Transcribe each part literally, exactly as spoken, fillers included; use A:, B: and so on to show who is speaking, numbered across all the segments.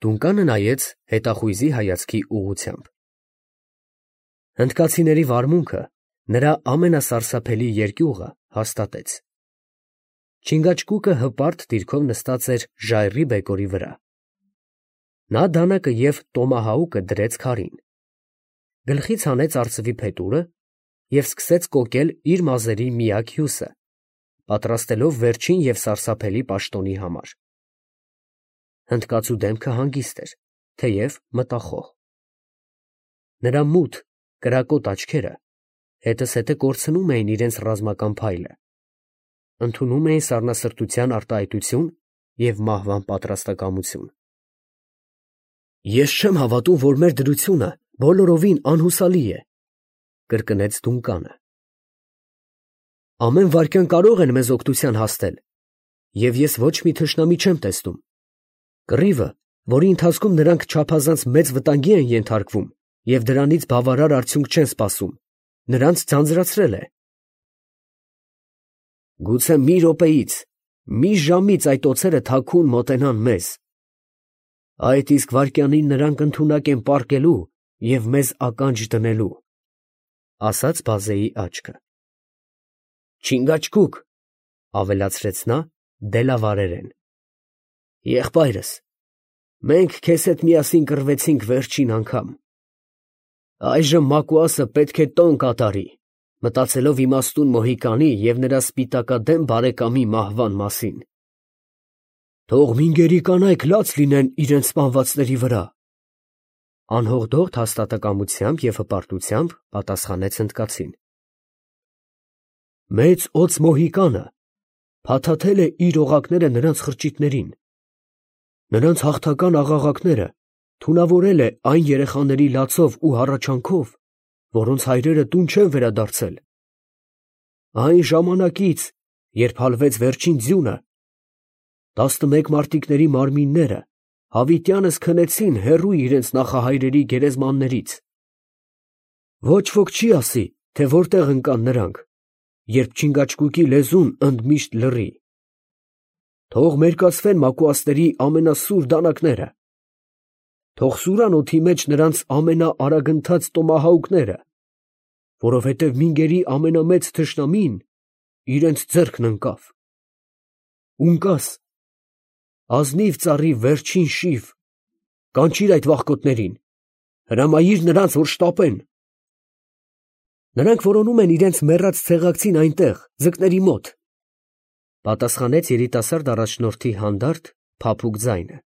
A: Դունկանը նայեց հետախույզի հայացքի ուղղությամբ։ Հնդկացիների վարմունքը նրա ամենասարսափելի երկյուղը հաստատեց։ Չինգաչգուկը հպարտ դիրքով նստած էր ժայռի բեկորի վրա։ Նա դանակը և տոմահաուկը դրեց քարին, գլխից հանեց արծվի փետուրը և սկսեց կոկել իր մազերի միակ հյուսը, պատրաստելով վերջին և սարսափելի պաշտոնի համար։ Հնդկացու դեմքը հանգիստ էր, թեև մտախոհ։ Նրա մութ, կրակոտ աչքերը հետզհետե կորցնում էին իրենց ռազմական փայլը, ընդունում էին սառնասրտության արտահայտություն և մահվան պատրաստակամություն։ «Ես չեմ հավատում, որ մեր դրությունը բոլորովին անհուսալի է», ֊ կրկնեց Դունկանը։ «Ամեն վայրկյան կարող են մեզ օգնության հասնել, և ես ոչ մի թշնամի չեմ տեսնում։ Կռիվը, որի ընթացքում նրանք չափազանց մեծ վտանգի են ենթարկվում և դրանից բավարար արդյունք չեն սպասում, նրանց ձանձրացրել է։ Գուցե մի րոպեից, մի ժամից այդ օձերը թաքուն մոտենան մեզ, այդ իսկ վայրկյանին նրանք ընդունակ են պառկելու և մեզ ականջ դնելու», ֊ ասաց բազեի աչքը։ «Չինգաչգուկ, ֊ ավելացրեց նա դելավարերեն, ֊ եղբայրս, մենք քեզ հետ միասին կռվեցինք վերջին անգամ. այժմ Մակուասը պետք է տոն կատարի, մտածելով իմաստուն Մոհիկանի և նրա սպիտակադեմ բարեկամի մահվան մասին։ Թող մինգերի կանայք լաց լինեն իրենց սպանվածների վրա, ֊ անհողդոհ հաստատակամությամբ և հպարտությամբ պատասխանեց հնդկացին։ Մեծ օձ Մոհիկանը փաթաթել է իր օղակները նրանց խրճիթներին, նրանց հաղթական աղաղակները թունավորել է այն երեխաների լացով ու հառաչանքով, որոնց հայրերը տուն չեն վերադարձել։ Այն ժամանակից, երբ հալվեց վերջին ձյունը, տասնմեկ մարտիկների մարմինները հավիտյանս քնեցին հեռու իրենց նախահայրերի գերեզմաններից։ Ոչ ոք չի ասի, թե որտեղ ընկան նրանք, երբ Չինգաչգուկի լեզուն ընդմիշտ լռի։ Թող մերկացվեն մակուասների ամենասուր դանակները, թող սուրան օդի մեջ նրանց ամենաարագընթաց տոմահաուկները, որովհետև մինգերի ամենամեծ թշնամին իրենց ձեռքն ընկավ։ Ունկաս, ազնիվ ծառի վերջին շիվ, կանչիր այդ վախկոտներին, հրամայիր նրանց, որ շտապեն։ Նրանք որոնում են իրենց մեռած ցեղակցին այնտեղ, ձկների մոտ, ֊ պատասխանեց երիտասարդ առաջնորդի հանդարտ, փափուկ ձայնը։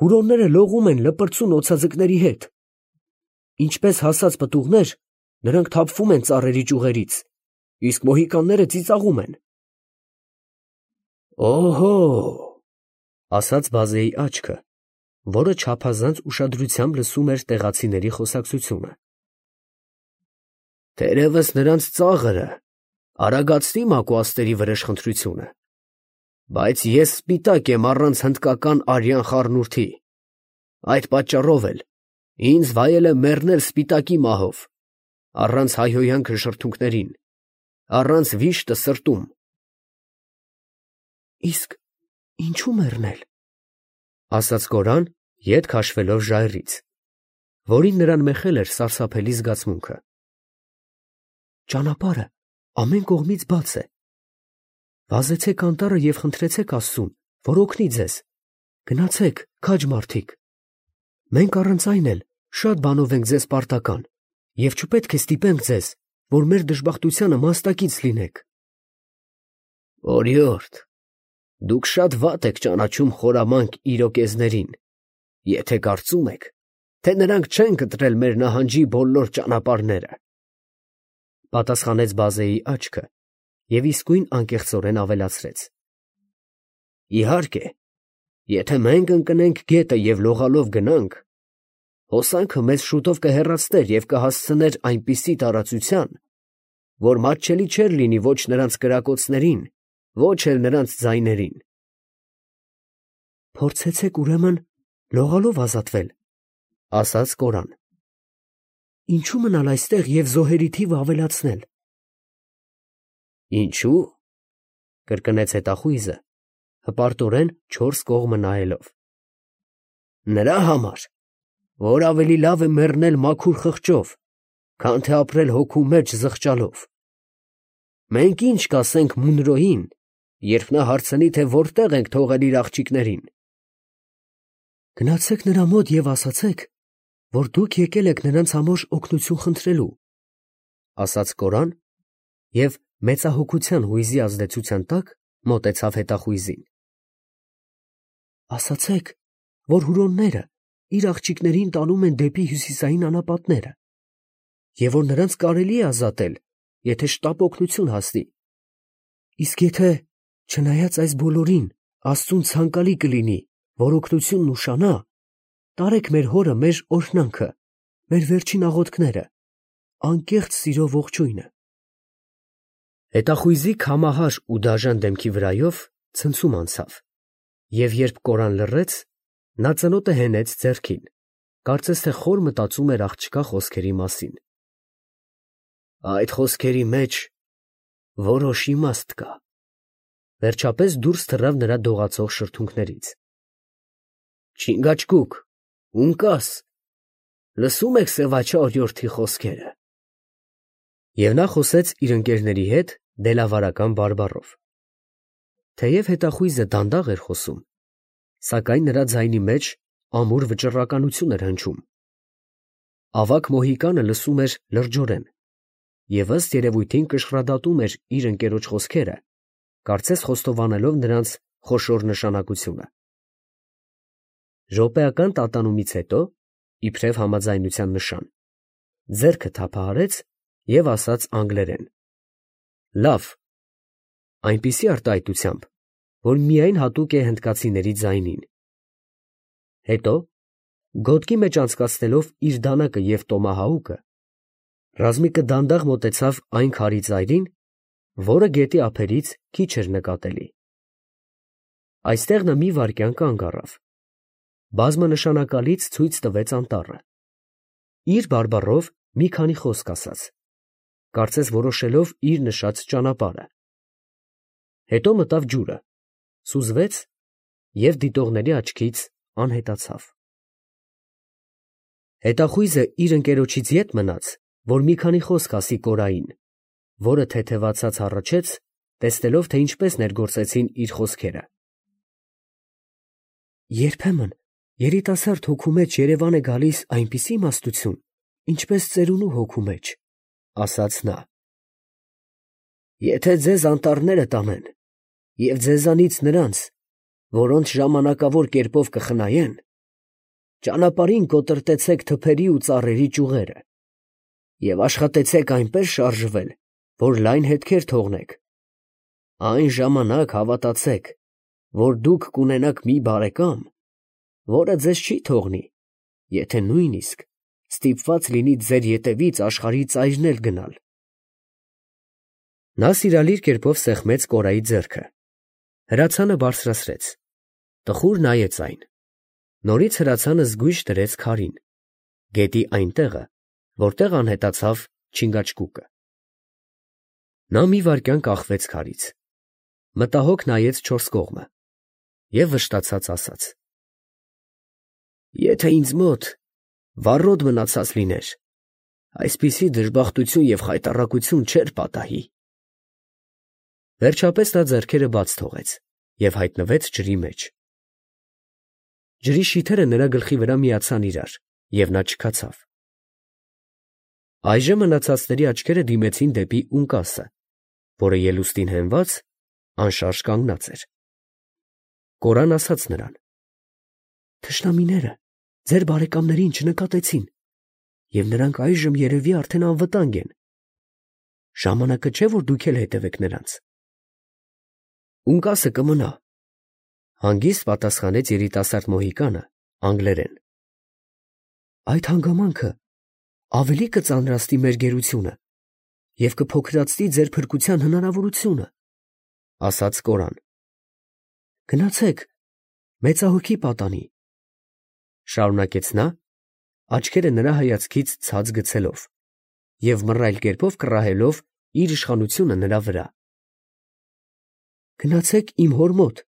A: Հուրոնները լողում են լպրծուն օձաձկների հետ։ Ինչպես հասած պտուղներ, նրանք թափվում են ծառերի ճյուղերից, իսկ մոհիկանները ծիծաղում են։ Օհո, ֊ ասաց բազեի աչքը, որը չափազանց ուշադրությամբ լսում էր տեղացիների խոսակցությունը։ Թերևս նրանց ծաղրը արագացնի մակուասների վրեժխնդրությունը, բայց ես սպիտակ եմ առանց հնդկական արյան խառնուրդի, այդ պատճառով էլ ինձ վայել է մեռնել սպիտակի մահով, առանց հայհոյանքը շրթունքներին, առանց վիշտը սրտում։ Իսկ ինչու մեռնել, ֊ ասաց Կորան, ետ քաշվելով ժայռից, որին նրան մեխել էր սարսափելի զգացմունքը։ Ճանապարհը ամեն կողմից բաց է։ Վազեցեք անտառը և խնդրեցեք Աստծուն, որ օգնի ձեզ, գնացեք, քաջ մարդիկ, մենք առանց այն էլ շատ բանով ենք ձեզ պարտական և չպետք է ստիպենք ձեզ, որ մեր դժբախտությանը մասնակից լինեք։ Օրիորդ, դուք շատ վատ եք ճանաչում խորամանկ իրոկեզներին, եթե կարծում եք, թե նրանք չեն կտրել մեր նահանջի բոլոր ճանապարհները, ֊ պատասխանեց բազեի աչքը և իսկույն անկեղծորեն ավելացրեց. Իհարկե, եթե մենք ընկնենք գետը և լողալով գնանք, հոսանքը մեզ շուտով կհեռացներ և կհասցներ այնպիսի տարածության, որ մատչելի չէր լինի ոչ նրանց կրակոցներին, ոչ էլ նրանց ձայներին։ Փորձեցեք ուրեմն լողալով ազատվել, ֊ ասաց Կորան։ Ինչու մնալ այստեղ և զոհերի թիվը ավելացնել։ Ինչու, ֊ կրկնեց հետախույզը, հպարտորեն չորս կողմը նայելով։ Նրա համար, որ ավելի լավ է մեռնել մաքուր խղճով, քան թե ապրել հոգու մեջ զղջալով։ Մենք ինչ կասենք Մունրոյին, երբ նա հարցնի, թե որտեղ ենք թողել իր աղջիկներին։ Գնացեք նրա մոտ և ասացեք, որ դուք եկել եք նրանց համար օգնություն խնդրելու, ասաց Կորան և մեծահոգության հույզի ազդեցության տակ մոտեցավ հետախույզին։ Ասացեք, որ հուրոնները իր աղջիկներին տանում են դեպի հյուսիսային անապատները, և որ նրանց կարելի է ազատել, եթե շտապ օգնություն հասնի։ Իսկ եթե, չնայած այս բոլորին, Աստծուն ցանկալի կլինի, որ օգնությունն ուշանա, տարեք մեր հորը մեր օրհնանքը, մեր վերջին աղոթքները, անկեղծ սիրով ողջույնը։ Հետախույզի քամահար ու դաժան դեմքի վրայով ցնցում անցավ, և երբ Կորան լռեց, նա ծնոտը հենեց ձեռքին, կարծես թե խոր մտածում էր աղջկա խոսքերի մասին։ Այդ խոսքերի մեջ որոշ իմաստ կա, վերջապես դուրս թռավ նրա դողացող շրթունքներից։ Չինգաչգուկ, ունկաս, լսում եք սևաչա օրիորդի խոսքերը։ Եվ նա խոսեց իր ընկերների հետ դելավարական բարբառով։ Թեև հետախույզը դանդաղ էր խոսում, սակայն նրա ձայնի մեջ ամուր վճռականություն էր հնչում։ Ավագ մոհիկանը լսում էր լրջորեն և ըստ երևույթին կշռադատում էր իր ընկերոջ խոսքերը, կարծես խոստովանելով նրանց խոշոր նշանակությունը։ Րոպեական տատանումից հետո, իբրև համաձայնության նշան, ձեռքը թափահարեց և ասաց անգլերեն. Լավ, այնպիսի արտահայտությամբ, որ միայն հատուկ է հնդկացիների ձայնին։ Հետո, գոտքի մեջ անցկացնելով իր դանակը և տոմահաուկը, ռազմիկը դանդաղ մոտեցավ այն քարի ծայրին, որը գետի ափերից քիչ էր նկատելի։ Այստեղ նա մի վայրկյան կանգ առավ, բազմանշանակալից ցույց տվեց անտառը, իր բարբառով մի քանի խոսք ասաց, կարծես որոշելով իր նշած ճանապարհը։ Հետո մտավ ջուրը, սուզվեց և դիտողների աչքից անհետացավ։ Հետախույզը իր ընկերոջից ետ մնաց, որ մի քանի խոսք ասի Կորային, որը թեթևացած հառաչեց, տեսնելով, թե ինչպես ներգործեցին իր խոսքերը։ Երբեմն երիտասարդ հոգու մեջ երևան է գալիս այնպիսի իմաստություն, ինչպես ծերունու հոգու մեջ, ասաց նա։ Եթե ձեզ անտառները տանեն և ձեզանից նրանց, որոնց ժամանակավոր կերպով կխնայեն, ճանապարհին կոտրտեցեք թփերի ու ծառերի ճյուղերը և աշխատեցեք այնպես շարժվել, որ լայն հետքեր թողնեք, այն ժամանակ հավատացեք, որ դուք կունենաք մի բարեկամ, որը ձեզ չի թողնի, եթե նույնիսկ ստիպված լինի ձեր ետևից աշխարհի ծայրն էլ գնալ։ Նա սիրալիր կերպով սեղմեց Կորայի ձեռքը, հրացանը բարձրացրեց, տխուր նայեց այն, նորից հրացանը զգույշ դրեց քարին, գետի այն տեղը, որտեղ անհետացավ Չինգաչգուկը։ Նա մի վայրկյան կախվեց քարից, մտահոգ նայեց չորս կողմը և վշտացած ասաց. Եթե ինձ մոտ վառոդ մնացած լիներ, այսպիսի դժբախտություն և խայտառակություն չէր պատահի։ Վերջապես նա ձեռքերը բաց թողեց և հայտնվեց ջրի մեջ։ Ջրի շիթերը նրա գլխի վրա միացան իրար, և նա չքացավ։ Այժմ մնացածների աչքերը դիմեցին դեպի ունկասը, որը ելուստին հենված, անշարժ կանգնած էր։ Կորան ասաց նրան. Թշնամիները ձեր բարեկամներին չնկատեցին, և նրանք այժմ երևի արդեն անվտանգ են. ժամանակը չէ, որ դուք էլ հետևեք նրանց։ Ունկասը կմնա, հանգիստ պատասխանեց երիտասարդ մոհիկանը անգլերեն։ Այդ հանգամանքը ավելի կծանրացնի մեր գերությունը և կփոքրացնի ձեր փրկության հնարավորությունը, ասաց Կորան։ Գնացեք, մեծահոգի պատանի, շարունակեց նա, աչքերը նրա հայացքից ցած գցելով և մռայլ կերպով կռահելով իր իշխանությունը նրա վրա։ Գնացեք իմ հոր մոտ,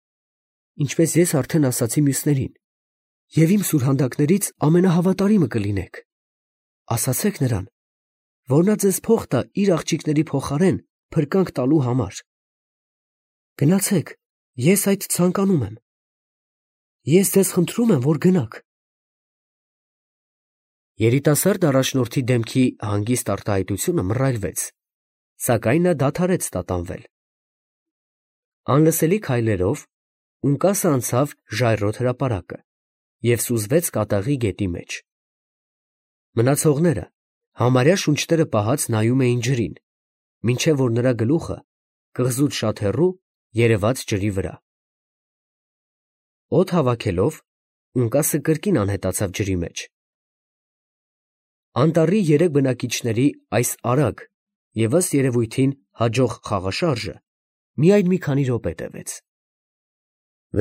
A: ինչպես ես արդեն ասացի մյուսներին, և իմ սուրհանդակներից ամենահավատարիմը կլինեք, ասացեք նրան, որ նա ձեզ փող տա իր աղջիկների փոխարեն փրկանք տալու համար. գնացեք, ես այդ ցանկանում եմ, ես ձեզ խնդրում եմ, որ գնաք։ Երիտասարդ առաջնորդի դեմքի հանգիստ արտահայտությունը մռայլվեց, սակայն նա դադարեց տատանվել։ Անլսելի քայլերով Ունկասը անցավ ժայռոտ հրապարակը և սուզվեց կատաղի գետի մեջ։ Մնացողները համարյա շունչները պահած նայում էին ջրին, մինչև որ նրա գլուխը կղզուց շատ հեռու երևաց ջրի վրա։ Օդ հավաքելով Ունկասը կրկին անհետացավ ջրի մեջ։ Անտառի երեք բնակիչների այս արագ և ըստ երևույթին հաջող խաղաշարժը միայն մի քանի րոպե տևեց։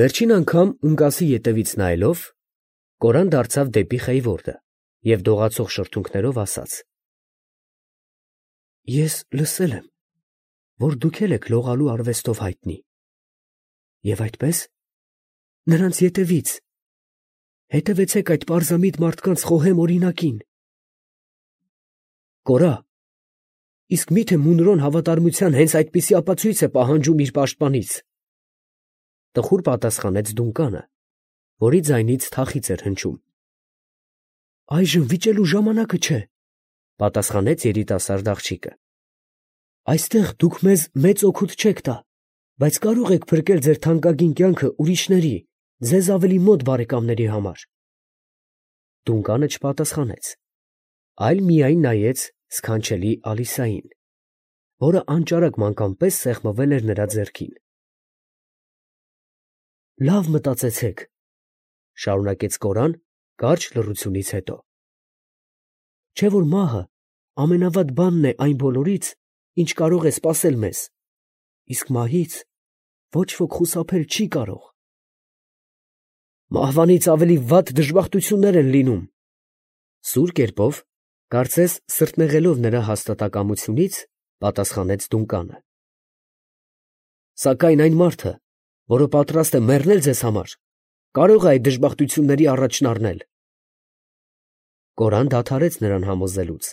A: Վերջին անգամ Ունկասի ետևից նայելով, Կորան դարձավ դեպի Խեյվորդը և դողացող շրթունքներով ասաց. «Ես լսել եմ, որ դուք էլ եք լողալու արվեստով հայտնի, և այդպես, նրանց ետևից, հետևեցեք այդ պարզամիտ մարդկանց խոհեմ օրինակին»։ Կորա, իսկ մի՞թե Մունրոն հավատարմության հենց այդպիսի ապացույց է պահանջում իր պաշտպանից։ Տխուր պատասխանեց Դունկանը, որի ձայնից թախիծ էր հնչում։ Այժմ վիճելու ժամանակը չէ, պատասխանեց երիտասարդ աղջիկը։ Այստեղ դուք մեզ մեծ օգուտ չեք տա, բայց կարող եք փրկել ձեր թանկագին կյանքը ուրիշների, ձեզ ավելի մոտ բարեկամների համար։ Դունկանը չպատասխանեց, այլ միայն նայեց սքանչելի Ալիսային, որը անճարակ մանկան պես սեղմվել էր նրա ձեռքին։ Լավ մտածեցեք, շարունակեց Կորան կարճ լռությունից հետո։ Չէ՞ որ մահը ամենավատ բանն է այն բոլորից, ինչ կարող է սպասել մեզ, իսկ մահից ոչ ոք խուսափել չի կարող։ Մահվանից ավելի վատ դժբախտություններ են լինում։ Սուր կերպով, կարծես սրտնեղելով նրա հաստատակամությունից, պատասխանեց Դունկանը։ Սակայն այն մարդը, որը պատրաստ է մեռնել ձեզ համար, կարող է այդ դժբախտությունների առաջն առնել։ Կորան դադարեց նրան համոզելուց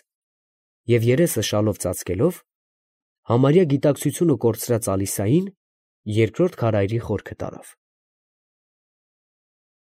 A: և երեսը շալով ծածկելով, համարյա գիտակցությունը կորցրած Ալիսային երկրորդ քարայրի խորքը տարավ։